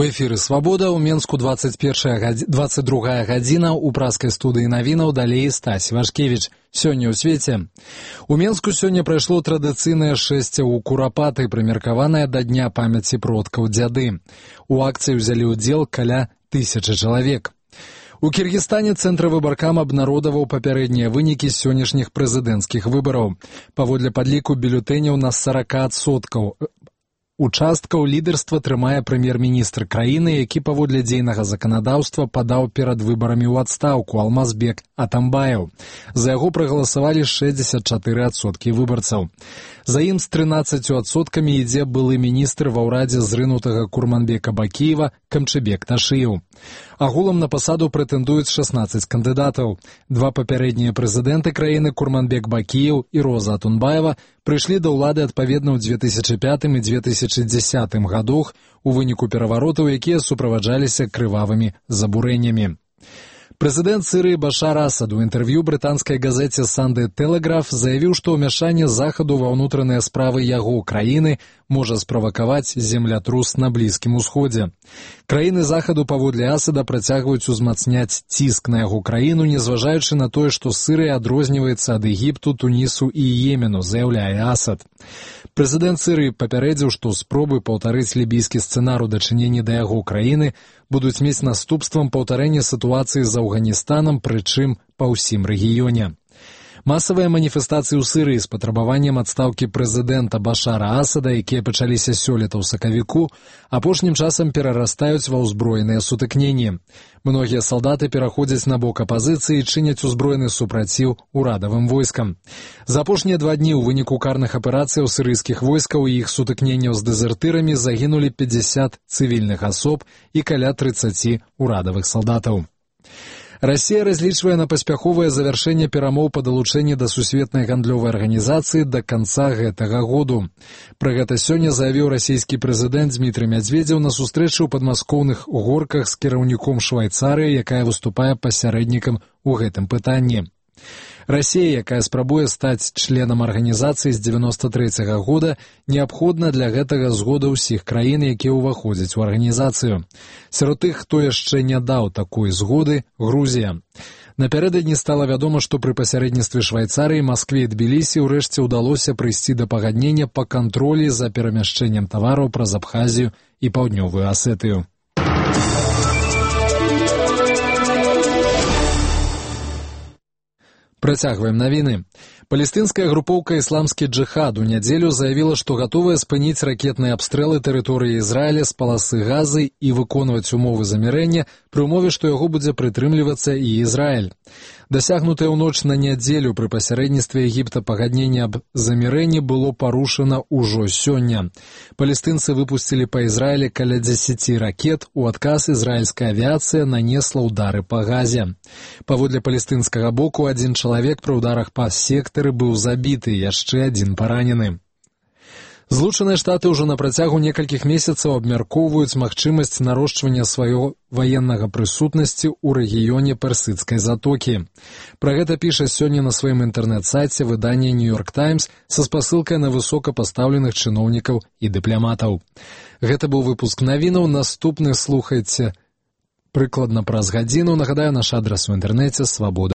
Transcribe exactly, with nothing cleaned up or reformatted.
У эфіры «Свабода», у Менску двадцать другая гадзіна, у праскай студыі навінаў далей Стась Вашкевіч. Сёння ў свеце. У Менску сёння прайшло традыцыйнае шэсце ў Курапаты, прымеркаванае да Дня памяці продкаў дзяды. У акцыі ўзялі ўдзел каля тысячы чалавек. У Кіргізстане Цэнтр выбаркам абнародаваў папярэднія вынікі сённяшніх прэзідэнцкіх выбараў. Паводле падліку бюлетэняў на сорок адсоткаў участкаў лідарства трымае прэм'ер-міністр краіны, які паводле дзейнага заканадаўства падаў перад выбарамі ў адстаўку Алмазбек Атамбаев. За яго прагаласавалі шэсцьдзесят чатыры адсоткі выбарцаў. За ім з трынаццаццю адсоткамі ідзе былы міністр ва ўрадзе зрынутага Курманбека Бакіева Камчыбек Ташыев. Агулам на пасаду прэтэндуюць шаснаццаць кандыдатаў. Два папярэднія прэзідэнты краіны Курманбек Бакіев і Роза Атунбаева прыйшлі да ўлады адпаведна ў дзве тысячы пятым і дзве тысячы дзесятым гадах у выніку пераваротаў, якія суправаджаліся крывавымі забурэннямі. Прэзідэнт Сірыі Башар Асад у інтэрв'ю брытанскай газеце «Санды Тэлеграф» заявіў, што ўмяшанне Захаду ва ўнутраныя справы яго краіны можа справакаваць землятрус на Блізкім Усходзе. Краіны Захаду паводле Асада працягваюць узмацняць ціск на яго краіну, незважаючы на тое, што Сірыя адрозніваецца ад Егіпту, Тунісу і Йемену, заяўляе Асад. Прэзідэнт Сірыі папярэдзіў, што спробы паўтарыць лібійскі сцэнар у дачыненні да яго краіны будуць мець наступствам паўтарэння сітуацыі з Афганістанам, прычым па ўсім рэгіёне. Масавыя маніфестацыі ў Сірыі з патрабаваннем адстаўкі прэзідэнта Башара Асада, якія пачаліся сёлета ў сакавіку, апошнім часам перарастаюць ва ўзброеныя сутыкненні. Многія салдаты пераходзяць на бок апазіцыі і чыняць узброены супраціў урадавым войскам. За апошнія два дні ў выніку карных аперацыяў сірыйскіх войскаў і іх сутыкненняў з дэзертырамі загінулі пятьдесят цывільных асоб і каля трыццаць урадавых салдатаў. Расія разлічвае на паспяховае завяршэнне перамоў па далучэнні да сусветнай гандлёвай арганізацыі да канца гэтага году. Пра гэта сёння заявіў расійскі прэзідэнт Дмітрый Мядзведзеў на сустрэчы ў падмаскоўных горках з кіраўніком Швайцарыі, якая выступае пасярэднікам у гэтым пытанні. Расія, якая спрабуе стаць членам арганізацыі з дзевяноста трэцяга года, неабходна для гэтага згода ўсіх краін, якія ўваходзяць у арганізацыю. Сярод тых, хто яшчэ не даў такой згоды, Грузія. Напярэдадні стала вядома, што пры пасярэдніцтве Швайцарыі, Маскве і Тбілісі ўрэшце ўдалося прыйсці да пагаднення па кантролі за перамяшчэннем тавараў праз Абхазію і Паўднёвую Асетыю. Працягваем навіны. Палестынская групоўка «Ісламскі джыхад» у нядзелю заявіла, што гатовая спыніць ракетныя абстрэлы тэрыторыі Ізраіля з паласы Газы і выконваць умовы замірэння пры ўмове, што яго будзе прытрымлівацца і Ізраіль. Дасягнутае ў ноч на нядзелю пры пасярэдніцтве Егіпта пагадненне аб замірэнні было парушана ўжо сёння. Палестынцы выпусцілі па Ізраілі каля дзесяці ракет, у адказ ізраільская авіяцыя нанесла ўдары па Газе. Паводле палестынскага боку, адзін чалавек пры ўдарах па сектары быў забіты, яшчэ адзін паранены. Злучаныя Штаты ўжо на працягу некалькіх месяцаў абмяркоўваюць магчымасць нарошчвання свайго ваеннага прысутнасці ў рэгіёне Персідскай затокі. Пра гэта піша сёння на сваім інтэрнэт-сайце выданне «Нью-Йорк Таймс» са спасылкай на высокапастаўленых чыноўнікаў і дыпламатаў. Гэта быў выпуск навінаў, наступны слухайце прыкладна праз гадзіну. Нагадаю, наш адрас у інтэрнэце «Свабода».